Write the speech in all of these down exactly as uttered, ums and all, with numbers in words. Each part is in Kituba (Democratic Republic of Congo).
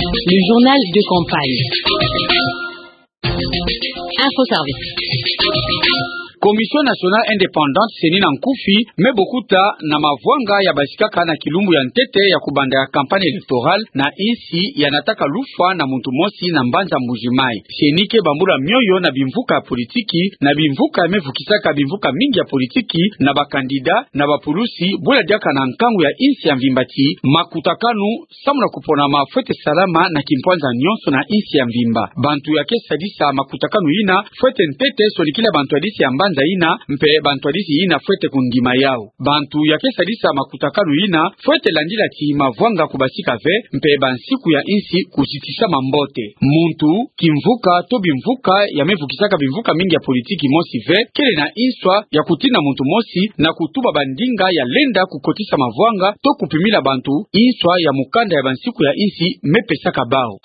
Le journal de campagne. Info Service. Commission Nationale Indépendante, CENI na nkufi, me bokuta na mavwanga ya basikaka na kilumbu ya ntete ya kubanda ya campagne électorale na insi ya nataka lufwa na muntu mosi na mbanza Mbuji-Mayi. CENI ke bambula mioyo na bimvuka ya politiki, na bimvuka ya me vukisaka bimvuka mingi ya politiki, na ba candidat, na bapulusi, bula diaka na nkangu ya insi ya mvimba ti makutakanu samu na kuponama fwete salama na kimpwanza nyonso na insi ya mvimba. Bantu ya ke sadisa makutakanu yina fwete ntete sonikila bantwadisi ya mbanza yina, mpe bantwadisi yina fwete kundima yau. Bantu ya ke sadisa makutakanu yina fwete landila ti mavwanga kubasika ve, mpe bansiku ya insi kuzitisama mbote. Muntu, kimvuka, to bimvuka ya me vukisaka bimvuka mingi ya politiki mosi ve, kele na inswa ya kutina muntu mosi na kutuba bandinga ya lenda kukotisa mavwanga, to kupimila bantu inswa ya mukanda ya bansiku ya insi me pesaka bau.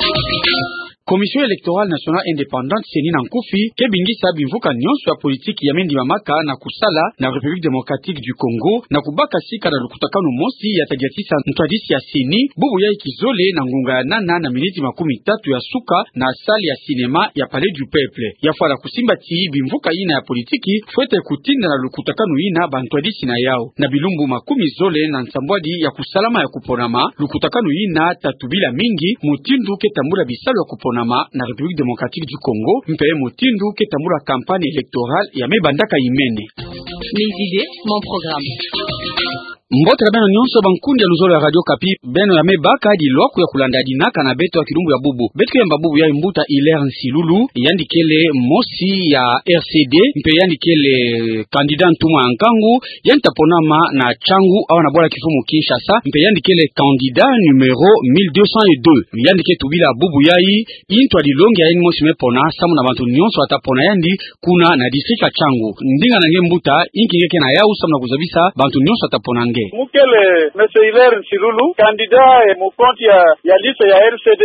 Commission Électorale Nationale Indépendante, CENI na nkufi, ke bingisa bimvuka nyonso ya politiki ya me ndimamaka na kusala na République Démocratique du Congo, na kubaka sika na lukutakanu mosi ya ta diatisa ntwadisi ya CENI, bubu yai kizole na ngunga ya nana na miniti makumi tatu ya suka na salle ya cinéma ya Palais du Peuple. Ya fwana kusimba ti bimvuka yina ya politiki fwete kutinda na lukutakanu yina bantwadisi na yau. Na bilumbu makumi zole na nsambwadi ya kusalama ya kuponama, lukutakanu yina ta tubila mingi mutindu ke tambula bisalu ya kuponama na République Démocratique du Congo, mpe mutindu ke tambula campagne électorale ya me bandaka yimene. Mes idées, mon programme. Mbote na beno nyonso bankundi ya luzolo ya Radio Okapi, beno ya me baka dilwaku ya kulanda dinaka na beto ya kilumbu ya bubu. Beto ke yamba bubu yai mbuta Hilaire Nsilulu, yandi kele mosi ya R C D, mpe yandi kele candidat ntumwa ya nkangu, yandi ta ponama na Changu, awa na bwala kimfumu Kinshasa, mpe yandi kele candidat numéro mille deux cent deux. Yandi ke tubila bubu yai, i ntwadi longi ya yandi mosi me pona, samu na bantu nyonso bata pona yandi, kuna na district ya Changu. Ndinga na nge mbuta, inki nge ke na yau samu na kuzabisa bantu nyonso bata pona nge? Mu kele Monsieur Hilaire Nsilulu, candidat, eh, mu compte ya, ya liste ya R C D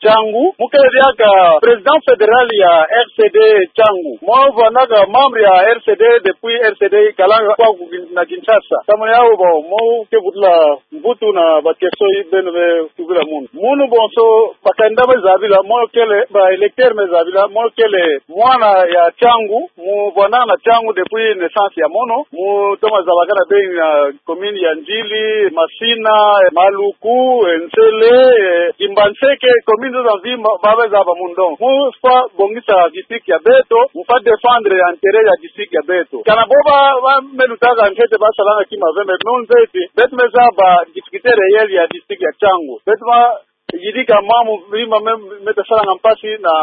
Changu. Mu kele diaka président fédéral ya R C D Changu. Mo vandaka membre ya R C D depuis R C D ikalanga kwaku Kin-, na Kinshasa. Samu na yau bo, mo ke vutula mvutu na ba question yi beno me tubila munu. Munu bonso, ba candidat me zabila, mo kele, ba électeur me zabila, mo kele mwana ya Changu, mu vwandaka na Changu depuis naissance ya mono, mu toma zabakana be na commune ya Ndjili, Masina, Maluku, Nsele, Kimbanseke, commune zozo mvimba, ba me zaba munu. Donc, mu fwa bongisa district ya beto, mu fwa défendre intérêt ya district ya beto. Kana bo ba, ba me lutaka ntete ba salanga kima ve, mais non ntete, beto me zaba difficulté réelle ya district ya Changu. Beto ma yidika mambu mima me, me ta salanga mpasi na,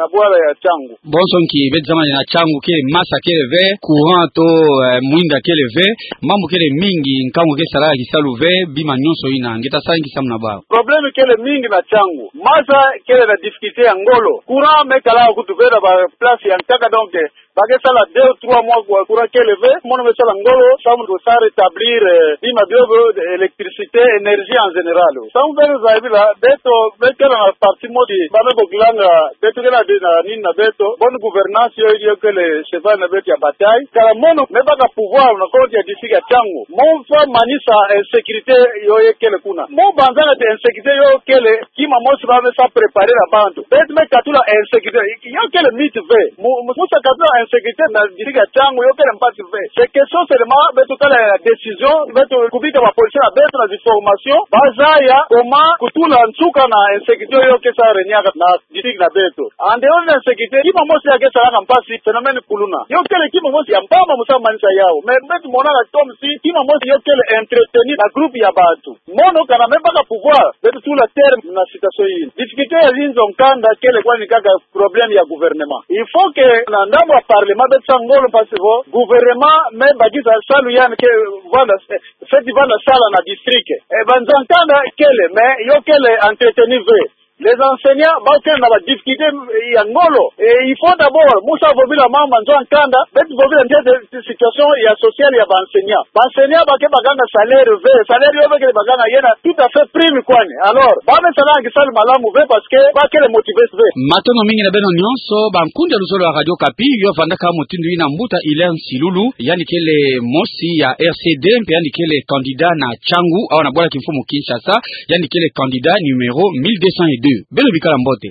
na bwala ya Changu. Bonso nki beto zaba na Changu kele masa kele ve, courant to, eh, mwinda kele ve, mambu kele mingi, nkangu ke salaka kisalu ve, bima nyonso yina, nge ta sala nki samu na bau? Problème kele mingi na Changu. Masa kele na difficulté ya ngolo. Courant me kala kutu ve na ba place ya nkaka, donc, eh, ba ke sala deux ou trois mois kwa courant kele ve, mono me sala ngolo, samu ko sa rétablir, eh, bima bio bio, électricité, énergie en général. Samu beno zabila, beto, beto kele na parti modi, ba me bokilanga, beto kele na, na nini na beto, bonne gouvernance yo, yo kele cheval na beto ya bataille. Kala mono, me baka pouvoir na compte ya district ya Changu. Mo fwa manisa insécurité yo ye kele kuna. Mo banzaka ti insécurité yo kele, kima mosi ba me sa préparer na bantu. Beto me katula insécurité. Yo kele mythe ve. Mu, mu, mu sa katula insécurité na district ya Changu, yo kele mpasi ve. C'est question seulement, beto kala na décision, beto kubika ba policier na beto na zi formation, ba zaya comment kutula nsuka na insécurité yo ke sa régner na district na beto. En dehors de l'insécurité, kima mosi ya ke salaka mpasi, phénomène kuluna. Yo kele kima mosi ya mpamba mu sa manisa yau. Mais beto monaka comme si kima mosi yo kele entretenu na groupe ya bantu. Mono kana me baka pouvoir, beto tula terme na situation yina. Difficulté ya zinzo nkanda kele kwani kaka problème ya gouvernement. Il faut que na ndambu ya parlement beto sa ngolo mpasi vo gouvernement me bakisa salu yandi ke vanda, eh, fweti vanda sala na district. Eh, banzo nkanda kele, mais yo kele entretenu ve. Les enseignants, ba kele na ba difficulté ya ngolo. Et il faut d'abord, mu sa vovila mambu ma nzo ya nkanda, beto vovila ntete situation ya sociale ya ba enseignants. Ba enseignants ba ke bakanga salaire ve, salaire yo ba ke bakanga yena tout à fait prime kwani. Alors, ba me salanga kisalu malamu ve parce que ba kele motivé ve. Matondo mingi na beno nyonso, bankundi ya luzolo ya Radio Okapi, yo vandaka mutindu yina mbuta Hilaire Nsilulu, yandi kele mosi ya R C D, mpe yandi kele candidat na Changu, awa na bwala kimfumu Kinshasa, yandi kele candidat numéro mille deux cent deux. Beno bikara mbote.